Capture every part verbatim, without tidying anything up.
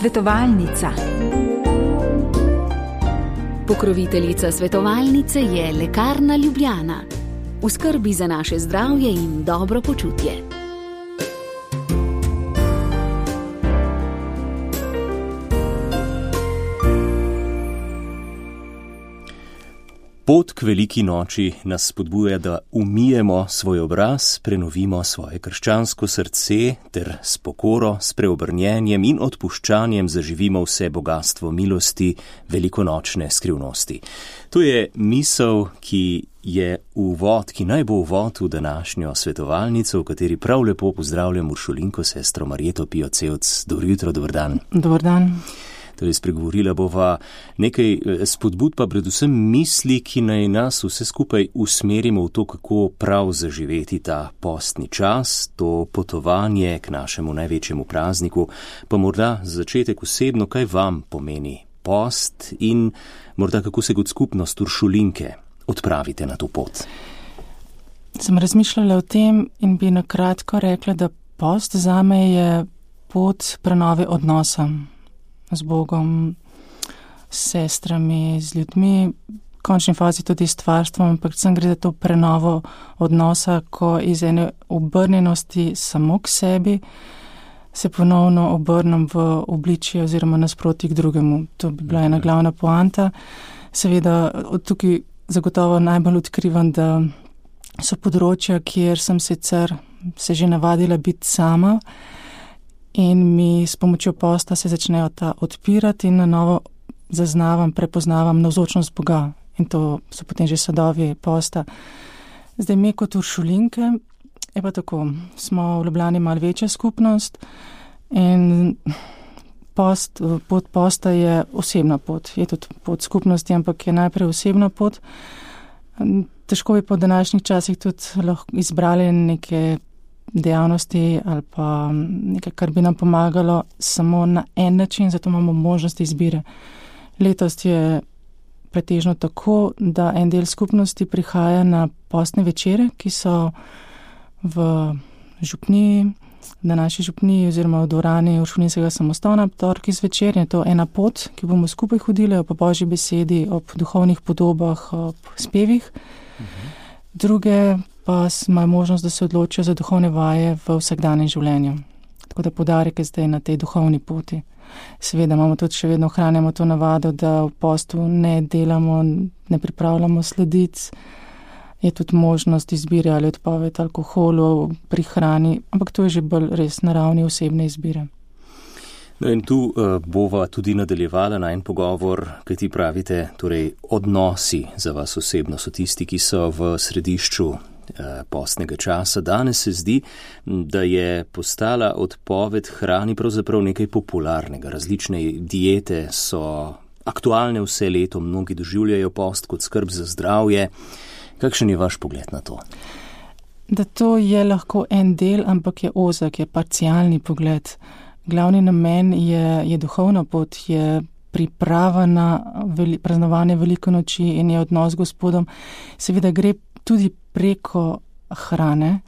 Svetovalnica. Pokroviteljica svetovalnice je Lekarna Ljubljana. V skrbi za naše zdravje in dobro počutje. Pot k veliki noči nas spodbuja, da umijemo svoj obraz, prenovimo svoje krščansko srce ter s pokoro, s preobrnjenjem in odpuščanjem zaživimo vse bogastvo milosti, velikonočne skrivnosti. To je misel, ki je uvod, ki naj bo uvod v današnjo svetovalnico, v kateri prav lepo pozdravljam Uršulinko, sestro Marjeto Pijo-Cevc. Dobro jutro, dober dan. Dober dan. Torej, spregovorila bova nekaj spodbud, pa predvsem misli, ki naj nas vse skupaj usmerimo v to, kako prav zaživeti ta postni čas, to potovanje k našemu največjemu prazniku. Pa morda za začetek osebno, kaj vam pomeni post in morda kako se kot skupnost Uršulinke odpravite na to pot? Sem razmišljala o tem in bi na kratko rekla, da post zame je pot prenove odnosa z Bogom, s sestrami, z ljudmi, v končni fazi tudi s stvarstvom, ampak predvsem gre za to prenovo odnosa, ko iz ene obrnjenosti samo k sebi se ponovno obrnem v obličje oziroma nasproti k drugemu. To bi bila ena glavna poanta. Seveda od tukaj zagotovo najbolj odkrivam, da so področja, kjer sem sicer se že navadila biti sama, in mi s pomočjo posta se začnejo ta odpirati in na novo zaznavam, prepoznavam navzočnost Boga. In to so potem že sadovi posta. Zdaj mi kot Uršulinke, je pa tako, smo v Ljubljani malo večja skupnost in post, pot posta je osebna pot. Je tudi pot skupnosti, ampak je najprej osebna pot. Težko bi po današnjih časih tudi lahko izbrali neke dejavnosti ali pa nekaj, kar bi nam pomagalo samo na en način, zato imamo možnost izbire. Letos je pretežno tako, da en del skupnosti prihaja na postne večere, ki so v župniji, na naši župniji oziroma v dvorani Uršulinskega samostana, torki zvečer. Je to ena pot, ki bomo skupaj hodili ob Božji besedi, ob duhovnih podobah, ob spevih. Mhm. Druge pa imajo možnost, da se odločijo za duhovne vaje v vsakdanjem življenju. Tako da poudarek je zdaj na tej duhovni poti. Seveda imamo tudi še vedno ohranjamo to navado, da v postu ne delamo, ne pripravljamo sladic. Je tudi možnost izbire ali odpoved alkoholu pri hrani, ampak to je že bolj res na ravni osebne izbire. No in tu uh, bova tudi nadaljevala na en pogovor, kaj ti pravite, torej odnosi za vas osebno so tisti, ki so v središču uh, postnega časa. Danes se zdi, da je postala odpoved hrani pravzaprav nekaj popularnega. Različne diete so aktualne vse leto, mnogi doživljajo post kot skrb za zdravje. Kakšen je vaš pogled na to? Da to je lahko en del, ampak je ozek, je parcialni pogled. Glavni namen je, je duhovna pot, je priprava na veli, praznovanje velike noči in je odnos z Gospodom. Seveda gre tudi preko hrane,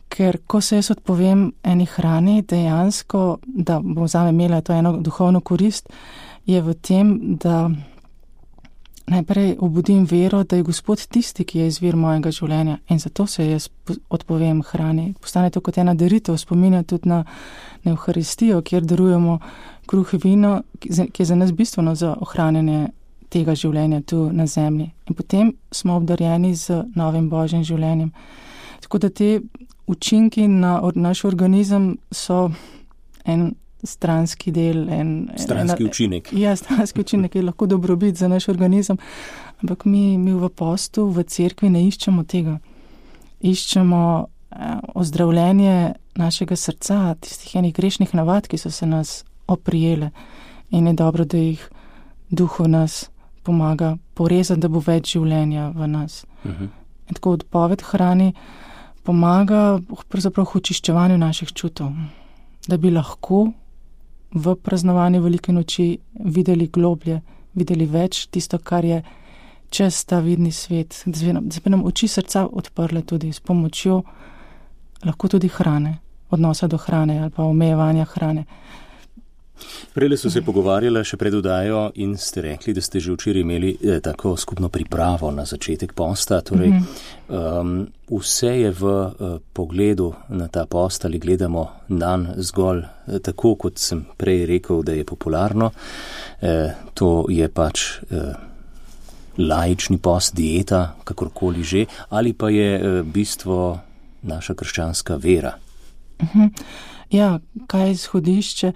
ker ko se jaz odpovem eni hrani, dejansko, da bom zame imela to eno duhovno korist, je v tem, da najprej obudim vero, da je Gospod tisti, ki je izvir mojega življenja in zato se jaz odpovem hrani. Postane to kot ena daritev, spominja tudi na, na Evharistijo, kjer darujemo kruh in vino, ki je za nas bistveno za ohranjanje tega življenja tu na zemlji. In potem smo obdarjeni z novim Božjim življenjem. Tako da te učinki na naš organizem so en stranski del. En, stranski ena, učinek. Ja, stranski učinek je lahko dobrobit za naš organizem, ampak mi, mi v postu, v cerkvi ne iščemo tega. Iščemo eh, ozdravljenje našega srca, tistih enih grešnih navad, ki so se nas oprijele in je dobro, da jih duh v nas pomaga porezati, da bo več življenja v nas. Uh-huh. In tako odpoved hrani pomaga pravzaprav v očiščevanju naših čutov, da bi lahko v praznovanju velike noči videli globlje, videli več tisto, kar je čez ta vidni svet, da se nam oči srca odprle tudi s pomočjo lahko tudi hrane, odnosa do hrane ali pa omejevanja hrane. Prele so se pogovarjala še pred oddajo in ste rekli, da ste že včeraj imeli eh, tako skupno pripravo na začetek posta. Torej, mm-hmm. um, vse je v uh, pogledu na ta post ali gledamo nanj zgolj eh, tako, kot sem prej rekel, da je popularno. Eh, to je pač eh, laični post, dieta, kakorkoli že, ali pa je eh, bistvo naša krščanska vera. Mm-hmm. Ja, kaj je izhodišče?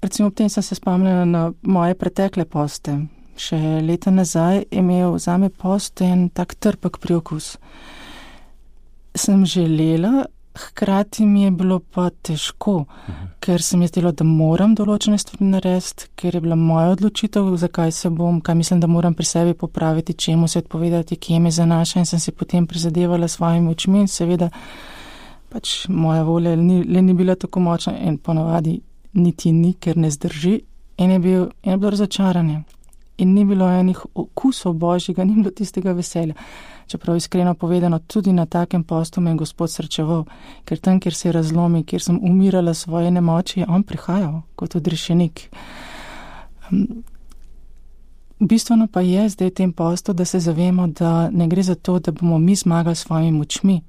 Recimo ob tem sem se spomnila na moje pretekle poste. Še leta nazaj je imel zame post en tak trpek priokus. Sem želela, hkrati mi je bilo pa težko, uh-huh. ker sem je zdelo, da moram določene stvari narediti, ker je bila moja odločitev, zakaj se bom, kaj mislim, da moram pri sebi popraviti, čemu se odpovedati, kje me zanaša in sem se potem prizadevala s svojimi očmi in seveda pač moja volja ni, le ni bila tako močna in ponavadi niti ni, ker ne zdrži in je, bil, in je bilo razočaranje. In ni bilo enih okusov božjega, ni bilo tistega veselja. Čeprav iskreno povedano, tudi na takem postu me je Gospod srečeval, ker tam, kjer se je razlomil, kjer sem umirala svoje nemoči, je on prihajal kot odrešenik. Bistveno pa je zdaj v tem postu, da se zavemo, da ne gre za to, da bomo mi zmagali s svojimi močmi,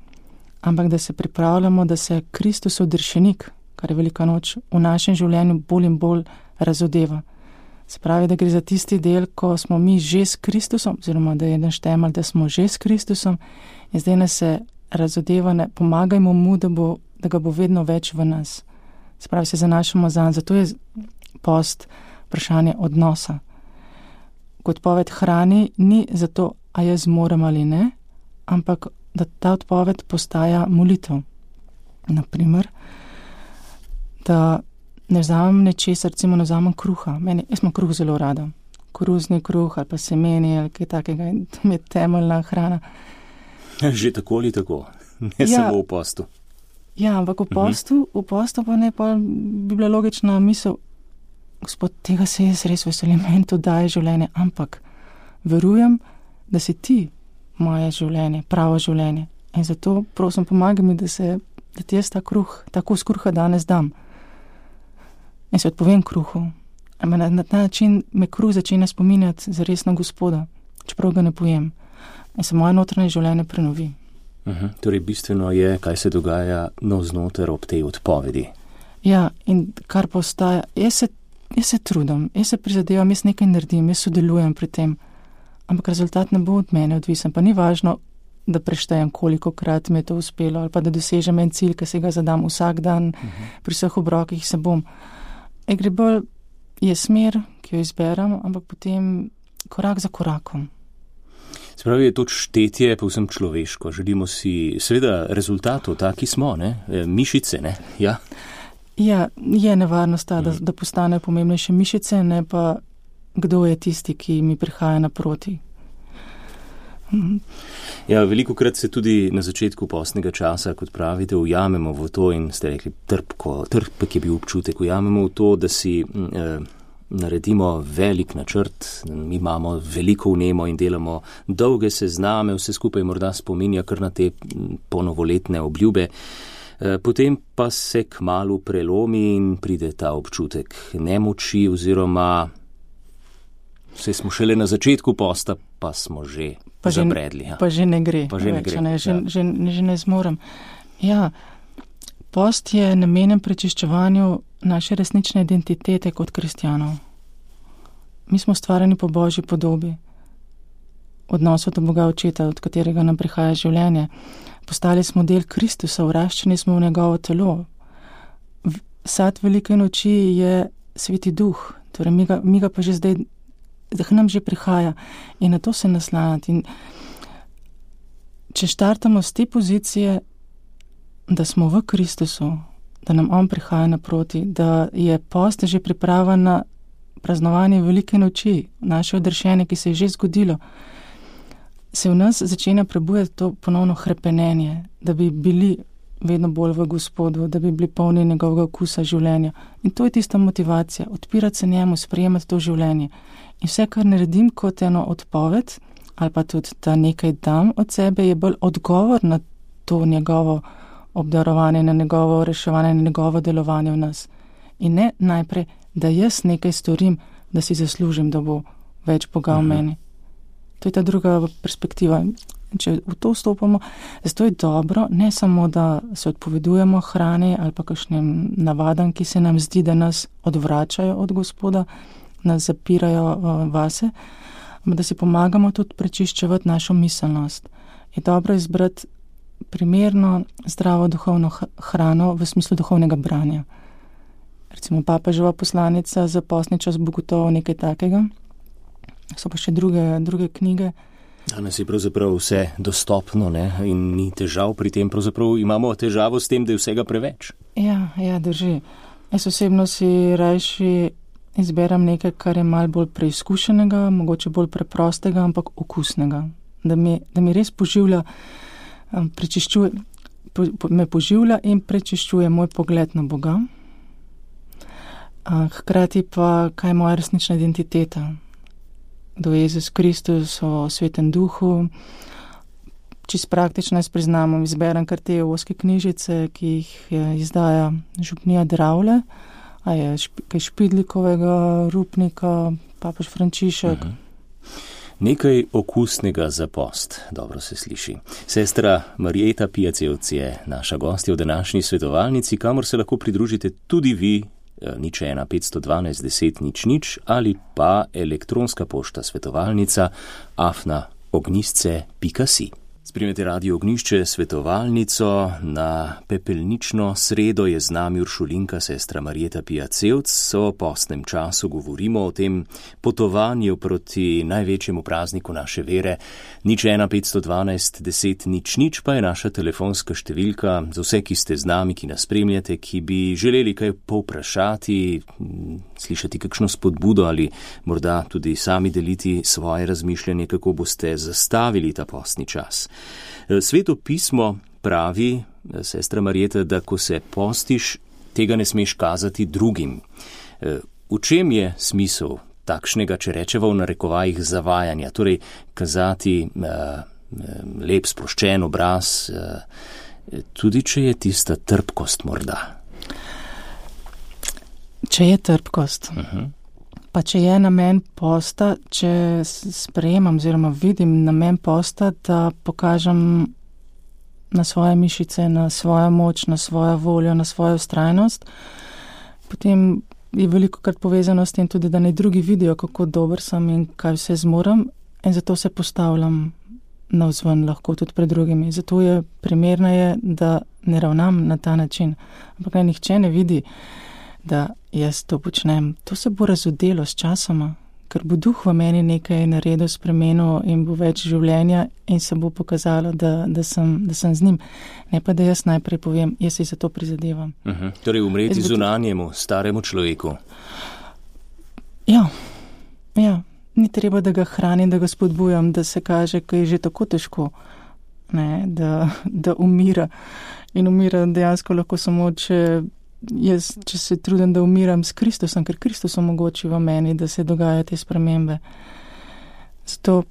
ampak da se pripravljamo, da se Kristus odrešenik, kar je velika noč, v našem življenju bolj in bolj razodeva. Se pravi, da gre za tisti del, ko smo mi že s Kristusom, oziroma da je eden štemelj, da smo že s Kristusom in zdaj nas se razodeva, ne pomagajmo mu, da, bo, da ga bo vedno več v nas. Se pravi, se zanašamo zanj, zato je post vprašanje odnosa. Kot odpoved hrani ni zato, a jaz zmorem ali ne, ampak da ta odpoved postaja molitev. Naprimer, da ne vzamem nečesa, recimo ne vzamem kruha. Meni, jaz imam kruh zelo rada. Koruzni kruh ali pa semeni ali kaj takega, to mi je temeljna hrana. Že tako ali tako, ne ja, samo v postu. Ja, ampak v postu, uh-huh. v postu pa ne, pa bi bila logična misel, Gospod, tega se jaz res veselim, meni to daje življenje, ampak verujem, da si ti moje življenje, pravo življenje. In zato prosim, pomagaj mi, da se da ti jaz ta kruh, tako z kruha danes dam. In se odpovem kruhu. Na, na ta način me kruh začne spominjati za resno Gospoda, čeprav ga ne pojem. In se moje notranje življenje prenovi. Uh-huh. Torej, bistveno je, kaj se dogaja navznoter ob tej odpovedi. Ja, in kar postaja, jaz se, jaz se trudim, jaz se prizadevam, jaz nekaj naredim, jaz sodelujem pri tem, ampak rezultat ne bo od mene odvisen. Pa ni važno, da preštejem, koliko krat mi je to uspelo, ali pa da dosežem en cilj, ki se ga zadam vsak dan, uh-huh. pri vseh obrokih se bom. E gre bolj, je smer, ki jo izberem, ampak potem korak za korakom. Spravi, je to štetje povsem človeško. Želimo si seveda rezultatov, taki smo, ne? Mišice, ne? Ja, ja je nevarnost ta, da, uh-huh. da postanejo pomembnejše mišice, ne pa kdo je tisti, ki mi prihaja naproti. Ja, veliko krat se tudi na začetku postnega časa, kot pravite, ujamemo v to in ste rekli, trpko, trpek je bil občutek, ujamemo v to, da si eh, naredimo velik načrt, mi imamo veliko vnemo in delamo dolge sezname, vse skupaj morda spominja kar na te ponovoletne obljube, eh, potem pa se kmalu prelomi in pride ta občutek nemoči oziroma vse smo šele na začetku posta, pa smo že pa zabredli. Ja. Pa že ne gre. Pa že ne več, gre. Ne, že, ja. že, že ne zmorem. Ja, post je namenjen prečiščevanju naše resnične identitete kot kristjanov. Mi smo stvarjeni po Božji podobi, odnosu do Boga Očeta, od katerega nam prihaja življenje. Postali smo del Kristusa, vraščeni smo v njegovo telo. Sad velike noči je Sveti Duh, torej mi ga, mi ga pa že zdaj da nam že prihaja in na to se naslanjati. In če štartamo z te pozicije, da smo v Kristusu, da nam on prihaja naproti, da je post že priprava na praznovanje velike noči, naše odrešenje, ki se je že zgodilo, se v nas začenja prebujati to ponovno hrepenenje, da bi bili vedno bolj v Gospodu, da bi bili polni njegovega okusa življenja. In to je tista motivacija, odpirati se njemu, sprejemati to življenje. In vse, kar naredim kot eno odpoved, ali pa tudi, da nekaj dam od sebe, je bolj odgovor na to njegovo obdarovanje, na njegovo reševanje, na njegovo delovanje v nas. In ne najprej da jaz nekaj storim, da si zaslužim, da bo več Boga v meni. To je ta druga perspektiva. Če v to vstopamo, zato je dobro, ne samo, da se odpovedujemo hrani ali pa kakšnim navadam, ki se nam zdi, da nas odvračajo od Gospoda, nas zapirajo uh, vase, ampak da si pomagamo tudi prečiščevati našo miselnost. Je dobro izbrati primerno, zdravo duhovno hrano v smislu duhovnega branja. Recimo papeževa poslanica za postni čas bo gotovo nekaj takega. So pa še druge, druge knjige. Danes je pravzaprav vse dostopno, ne? In ni težav pri tem, pravzaprav imamo težavo s tem, da je vsega preveč. Ja, ja, drži. Jaz osebno si rajši izberem nekaj, kar je malo bolj preizkušenega, mogoče bolj preprostega, ampak okusnega. Da mi, da mi res poživlja, prečiščuje, po, me poživlja in prečiščuje moj pogled na Boga. Hkrati pa, kaj je moja resnična identiteta. Do Jezus Kristus, o Svetem Duhu. Čist praktično jaz priznam, izberem kar te oske knjižice, ki jih izdaja župnija Dravlje, a je šp, kaj Špidlikovega, Rupnika, papež Frančišek. Uh-huh. Nekaj okusnega za post, dobro se sliši. Sestra Marjeta Piacevc je naša gostja v današnji svetovalnici, kamor se lahko pridružite tudi vi, nič ena petsto dvanajst deset nič nič ali pa elektronska pošta svetovalnica afna ognjišče pika si. Spremljate Radio Ognjišče svetovalnico. Na pepelnično sredo je z nami uršulinka sestra Marjeta Piacevc. O postnem času govorimo o tem potovanju proti največjemu prazniku naše vere. nič ena petsto dvanajst deset nič nič pa je naša telefonska številka za vse, ki ste z nami, ki nas spremljate, ki bi želeli kaj povprašati, slišati kakšno spodbudo ali morda tudi sami deliti svoje razmišljanje, kako boste zastavili ta postni čas. Sveto pismo pravi, sestra Marjeta, da ko se postiš, tega ne smeš kazati drugim. V čem je smisel takšnega, če rečeva v narekovajih, zavajanja, torej kazati uh, lep sproščen obraz, uh, tudi če je tista trpkost morda? Če je trpkost, uh-huh. Pa če je namen posta, če sprejemam oziroma vidim namen posta, da pokažem na svoje mišice, na svojo moč, na svojo voljo, na svojo vztrajnost, potem je veliko krat povezano s tem tudi, da naj drugi vidijo, kako dober sem in kaj vse zmorem, in zato se postavljam navzven lahko tudi pred drugimi. Zato je primerneje, da ne ravnam na ta način. Ampak naj nihče ne vidi, da jaz to počnem. To se bo razodelo s časoma, ker bo duh v meni nekaj naredil, spremenil in bo več življenja in se bo pokazalo, da, da, sem, da sem z njim. Ne pa, da jaz najprej povem, jaz si za to prizadevam. Uh-huh. Torej umreti bo... zunanjemu, staremu človeku. Ja, ja. Ni treba, da ga hranim, da ga spodbujam, da se kaže, ko je že tako težko, ne, da, da umira. In umira dejansko lahko samo, če jaz, če se trudim, da umiram s Kristusom, ker Kristus omogoči v meni, da se dogajajo te spremembe. Zato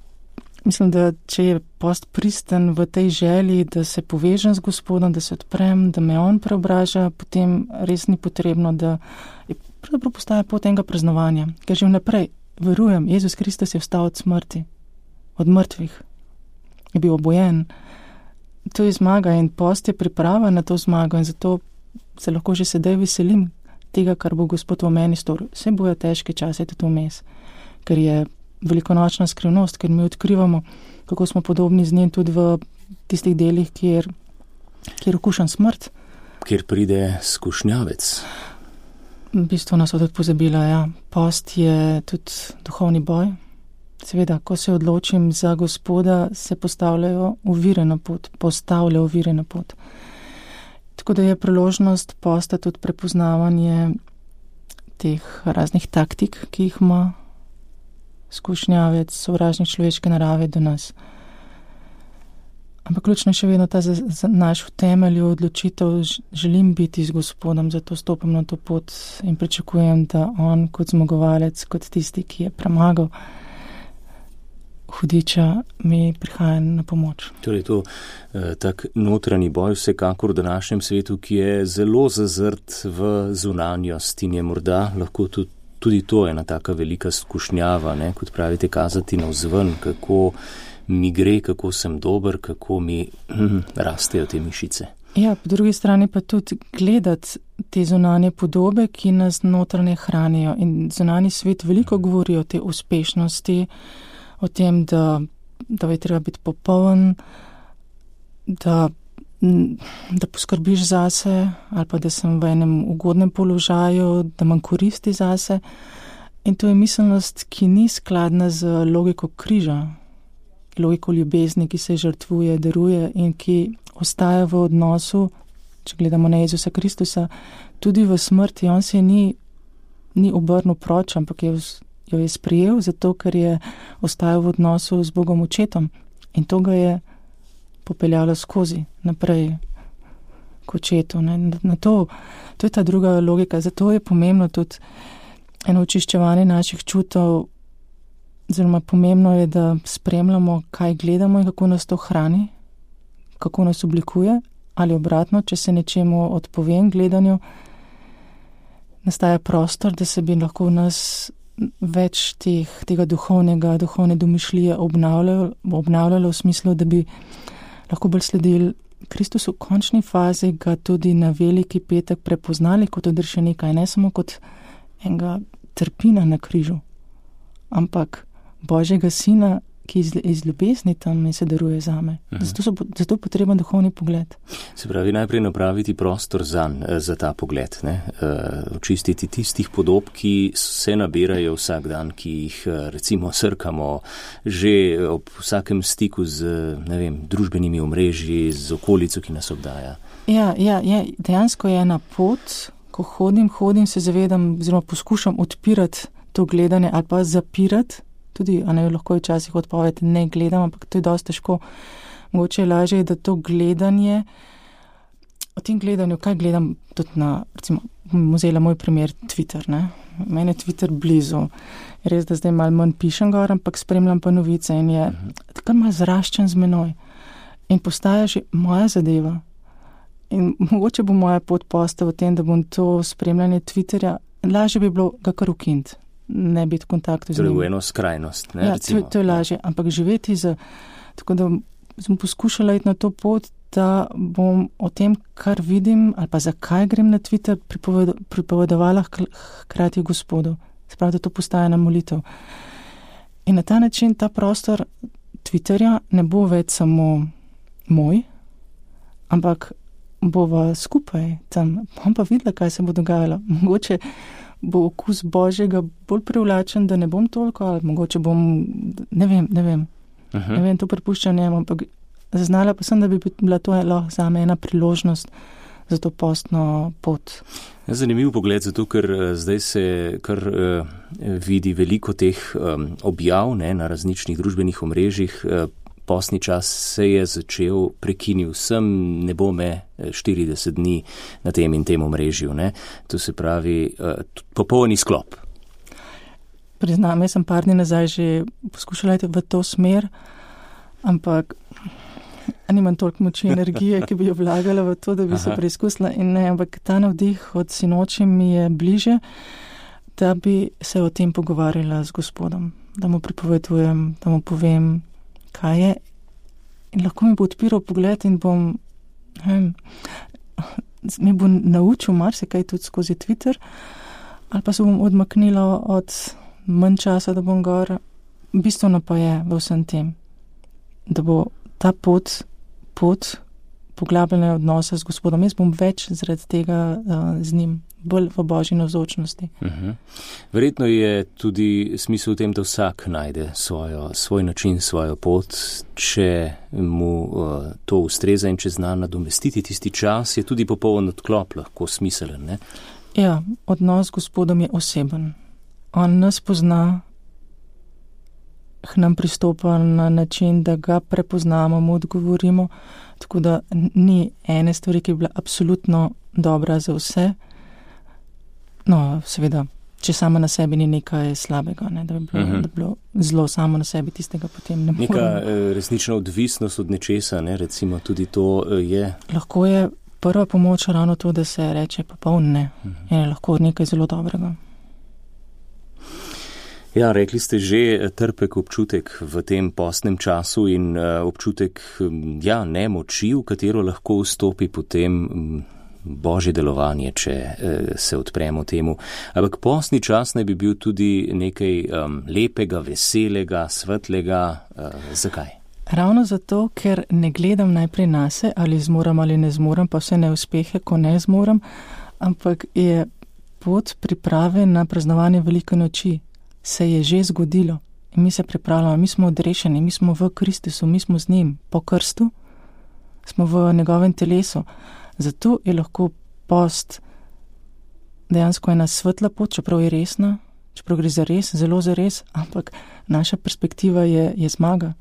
mislim, da če je post pristen v tej želji, da se povežem z Gospodom, da se odprem, da me on preobraža, potem res ni potrebno, da je pravzaprav postaja pot enega praznovanja. Ker že vnaprej verujem, Jezus Kristus je vstal od smrti, od mrtvih, je bil obojen. To je zmaga in post je priprava na to zmago in zato se lahko že sedaj veselim tega, kar bo Gospod v meni storil. Vse bojo težke čase tudi vmes, ker je velikonočna skrivnost, ker mi odkrivamo, kako smo podobni z njim tudi v tistih delih, kjer, kjer okušam smrt. Kjer pride skušnjavec. V bistvu nas tudi pozabila, ja. Post je tudi duhovni boj. Seveda, ko se odločim za Gospoda, se postavljajo ovire na pot, postavlja ovire na pot. Tako da je priložnost posta tudi prepoznavanje teh raznih taktik, ki jih ima skušnjavec, sovražnik človeške narave do nas. Ampak ključno je še vedno ta za, za naš v temelju odločitev, želim biti z Gospodom, zato stopim na to pot in pričakujem, da on kot zmagovalec, kot tisti, ki je premagal hudiča mi prihaja na pomoč. Torej to eh, tak notranji boj vsekakor v današnjem svetu, ki je zelo zazrt v zunanjost in je morda lahko tudi, tudi to ena taka velika skušnjava, ne, kot pravite, kazati navzven, kako mi gre, kako sem dober, kako mi hm, rastejo te mišice. Ja, po drugi strani pa tudi gledati te zunanje podobe, ki nas notranje hranijo. In zunanji svet veliko govori o te uspešnosti, o tem, da, da je treba biti popoln, da, da poskrbiš zase ali pa da sem v enem ugodnem položaju, da imam koristi zase. In to je miselnost, ki ni skladna z logiko križa, logiko ljubezni, ki se žrtvuje, daruje in ki ostaja v odnosu, če gledamo na Jezusa Kristusa, tudi v smrti. On se ni, ni obrnil proč, ampak je, jo je sprijel, zato ker je ostajal v odnosu z Bogom Očetom. In to ga je popeljalo skozi naprej k Očetu. Ne? Na to, to je ta druga logika. Zato je pomembno tudi eno očiščevanje naših čutov. Oziroma pomembno je, da spremljamo, kaj gledamo in kako nas to hrani, kako nas oblikuje, ali obratno, če se nečemu odpovem gledanju, nastaja prostor, da se bi lahko v nas več teh, tega duhovnega, duhovne domišljije obnavljalo, obnavljalo v smislu, da bi lahko bolj sledili Kristusu v končni fazi, ga tudi na veliki petek prepoznali kot odrešenika in ne samo kot enega trpina na križu, ampak Božjega sina, ki iz, iz ljubezni tam in se daruje zame. Uh-huh. Zato, so, zato je potreben duhovni pogled. Se pravi, najprej napraviti prostor zanj, za ta pogled, ne? Očistiti tistih podob, ki se nabirajo vsak dan, ki jih recimo srkamo že ob vsakem stiku z, ne vem, družbenimi omrežji, z okolico, ki nas obdaja. Ja, ja, ja, dejansko je ena pot, ko hodim, hodim, se zavedam, oziroma poskušam odpirati to gledanje ali pa zapirati. Tudi, a ne, lahko je včasih odpoved, ne gledam, ampak to je dosti težko. Mogoče je lažje, da to gledanje, o tem gledanju, kaj gledam, tudi na, recimo, vzela moj primer Twitter, ne. Meni je Twitter blizu. Res, da zdaj malo manj pišem gor, ampak spremljam pa novice in je tako malo zraščen z menoj. In postaja že moja zadeva. In mogoče bo moja pot postala v tem, da bom to spremljanje Twitterja, lažje bi bilo ga kar ukiniti. Ne biti v kontaktu z njim. Torej v eno skrajnost, ne? Ja, to, to je lažje, ampak živeti z, tako da sem poskušala iti na to pot, da bom o tem, kar vidim, ali pa zakaj grem na Twitter, pripoved, pripovedovala hkrati Gospodu. Sprav, da to postaja na molitev. In na ta način ta prostor Twitterja ne bo več samo moj, ampak bova skupaj tam. Bom pa videla, kaj se bo dogajalo. Mogoče bo okus Božjega bolj privlačen, da ne bom toliko, ali mogoče bom, ne vem, ne vem, uh-huh. ne vem, to prepuščam njemu, ampak zaznala pa sem, da bi bila to lahko zame ena priložnost za to postno pot. Zanimiv pogled, zato ker zdaj se kar uh, vidi veliko teh um, objav, ne, na različnih družbenih omrežjih. Uh, Postni čas se je začel, prekinil sem, ne bo me štirideset dni na tem in tem omrežju. Ne? To se pravi uh, popolni sklop. Priznam, jaz sem par dni nazaj že poskušala iti v to smer, ampak nimam toliko moči energije, ki bi jo vlagala v to, da bi Aha. se preizkusila. In ne, ampak ta navdih od sinoči mi je bliže, da bi se o tem pogovarjala z Gospodom, da mu pripovedujem, da mu povem, kaj je, in lahko mi bo odpiral pogled in bom, vem, mi bo naučil marsikaj tudi skozi Twitter, ali pa se bom odmaknila od manj časa, da bom gor. Bistveno pa je v vsem tem, da bo ta pot, pot poglabljanja odnosa z Gospodom. Jaz bom več zaradi tega uh, z njim, bolj v Božji navzočnosti. Uh-huh. Verjetno je tudi smisel v tem, da vsak najde svojo, svoj način, svojo pot. Če mu uh, to ustreza in če zna nadomestiti tisti čas, je tudi popoln odklop lahko smiselen, ne? Ja, odnos z Gospodom je oseben. On nas pozna, k nam pristopa na način, da ga prepoznamo, mu odgovorimo, tako da ni ene stvari, ki je bila absolutno dobra za vse. No, seveda, če sama na sebi ni nekaj slabega, ne, da, bi bilo, uh-huh. da bi bilo zlo samo na sebi, tistega potem ne moremo. Neka resnična odvisnost od nečesa, ne, recimo tudi to je. Lahko je prva pomoč ravno to, da se reče popoln ne, uh-huh. je lahko nekaj zelo dobrega. Ja, rekli ste že trpek občutek v tem postnem času in uh, občutek ja, nemoči, v katero lahko vstopi potem um, božje delovanje, če uh, se odpremo temu. Ampak postni čas naj bi bil tudi nekaj um, lepega, veselega, svetlega. Uh, zakaj? Ravno zato, ker ne gledam najprej nase, ali zmoram ali ne zmoram, pa vse neuspehe, ko ne zmoram, ampak je pot priprave na praznovanje velike noči. Se je že zgodilo in mi se pripravljamo, mi smo odrešeni, mi smo v Kristusu, mi smo z njim, po krstu smo v njegovem telesu. Zato je lahko post dejansko ena svetla pot, čeprav je resna, čeprav gre za res, zelo za res, ampak naša perspektiva je, je zmaga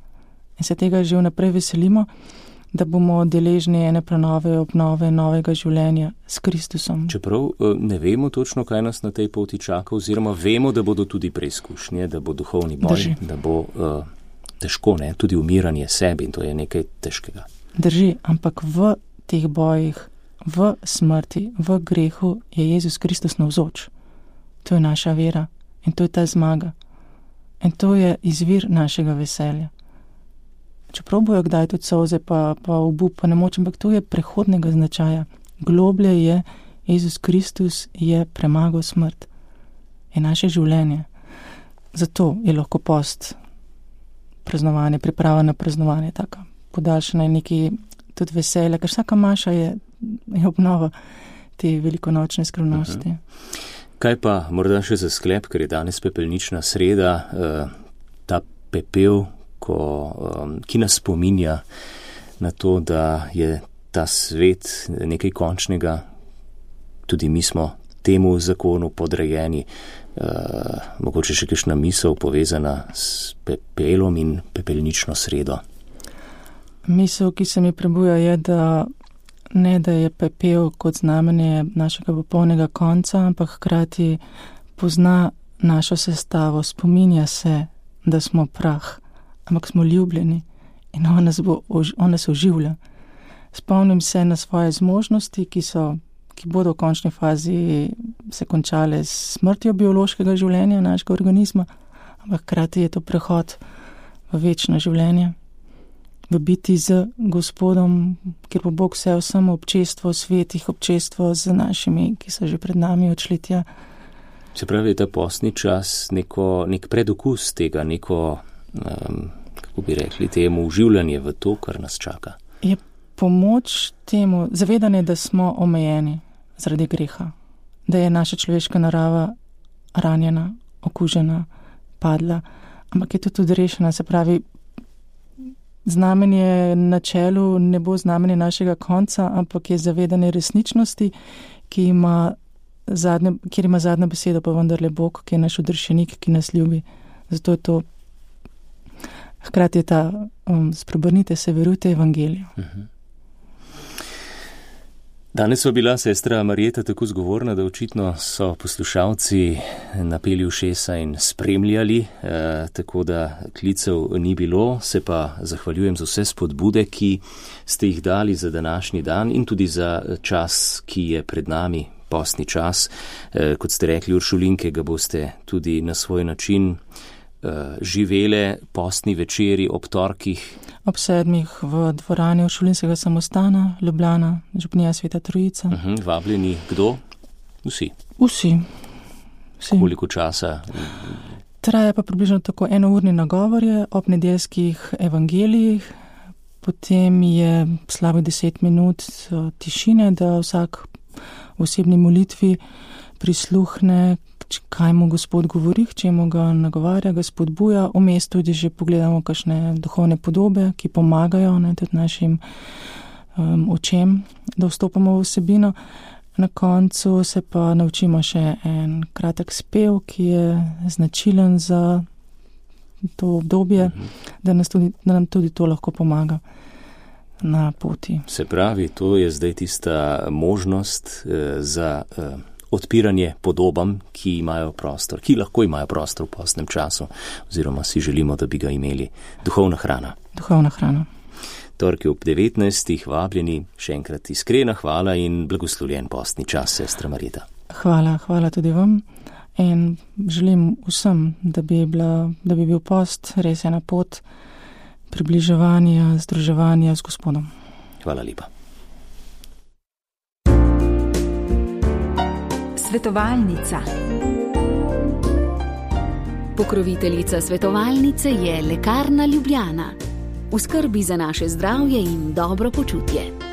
in se tega že vnaprej veselimo, da bomo deležni ene prenove, obnove, novega življenja s Kristusom. Čeprav ne vemo točno, kaj nas na tej poti čaka, oziroma vemo, da bodo tudi preizkušnje, da bo duhovni boj, Drži. da bo uh, težko, ne, tudi umiranje sebi in to je nekaj težkega. Drži, ampak v teh bojih, v smrti, v grehu je Jezus Kristus navzoč. To je naša vera in to je ta zmaga. In to je izvir našega veselja. Čeprav bojo kdaj tudi solze, pa, pa obup, pa nemoč, ampak to je prehodnega značaja. Globlje je, Jezus Kristus je premagal smrt. Je naše življenje. Zato je lahko post praznovanje, priprava na praznovanje, taka podaljšana in neki tudi veselja, ker vsaka maša je, je obnova te velikonočne skrivnosti. Uh-huh. Kaj pa morda še za sklep, ker je danes pepelnična sreda, uh, ta pepel, Ko, um, ki nas spominja na to, da je ta svet nekaj končnega, tudi mi smo temu zakonu podrejeni, uh, mogoče še kakšna misel povezana s pepelom in pepelnično sredo. Misel, ki se mi prebuja, je, da ne, da je pepel kot znamenje našega popolnega konca, ampak hkrati pozna našo sestavo, spominja se, da smo prah, ampak smo ljubljeni in on nas, bo, on nas oživlja. Spomnim se na svoje zmožnosti, ki, so, ki bodo v končni fazi se končale s smrtjo biološkega življenja našega organizma, ampak hkrati je to prehod v večno življenje, v biti z Gospodom, kjer bo Bog vse samo občestvo svetih, občestvo z našimi, ki so že pred nami odšli tja. Se pravi, je ta postni čas neko, nek predokus tega, neko Um, kako bi rekli temu, uživljanje v to, kar nas čaka. Je pomoč temu, zavedanje, da smo omejeni zaradi greha, da je naša človeška narava ranjena, okužena, padla, ampak je to tudi rešena, se pravi, znamenje na čelu ne bo znamenje našega konca, ampak je zavedanje resničnosti, ki ima zadnje, kjer ima zadnjo besedo, pa vendarle Bog, ki je naš odrešenik, ki nas ljubi. Zato je to hkrati je ta, um, spreobrnite se, verujte evangeliju. Uh-huh. Danes so bila sestra Marjeta tako zgovorna, da očitno so poslušalci napeli ušesa in spremljali, eh, tako da klicev ni bilo, se pa zahvaljujem za vse spodbude, ki ste jih dali za današnji dan in tudi za čas, ki je pred nami, postni čas. Eh, kot ste rekli, Uršulinke, ga boste tudi na svoj način živele postni večeri ob torkih. Ob sedmih v dvorani Uršulinskega samostana, Ljubljana, župnija Sveta Trojica. Uh-huh, vabljeni kdo? Vsi. Vsi. Vsi. Koliko časa? Traja pa približno tako enourni nagovorje ob nedeljskih evangelijih, potem je slabo deset minut tišine, da vsak v osebni molitvi prisluhne, kaj mu Gospod govori, k čemu ga nagovarja, ga spodbuja. Vmes tudi že pogledamo kakšne duhovne podobe, ki pomagajo, ne, tudi našim um, očem, da vstopamo v vsebino. Na koncu se pa naučimo še en kratek spev, ki je značilen za to obdobje, mhm. da, nas tudi, da nam tudi to lahko pomaga na poti. Se pravi, to je zdaj tista možnost eh, za eh, odpiranje podobam, ki imajo prostor, ki lahko imajo prostor v postnem času, oziroma si želimo, da bi ga imeli. Duhovna hrana. Duhovna hrana. Torki ob devetnajstih vabljeni, še enkrat iskrena hvala in blagoslovljen postni čas, sestra Marjeta. Hvala, hvala tudi vam in želim vsem, da bi, bila, da bi bil post res ena pot približevanja, združevanja z Gospodom. Hvala lepa. Svetovalnica. Pokroviteljica svetovalnice je Lekarna Ljubljana. V skrbi za naše zdravje in dobro počutje.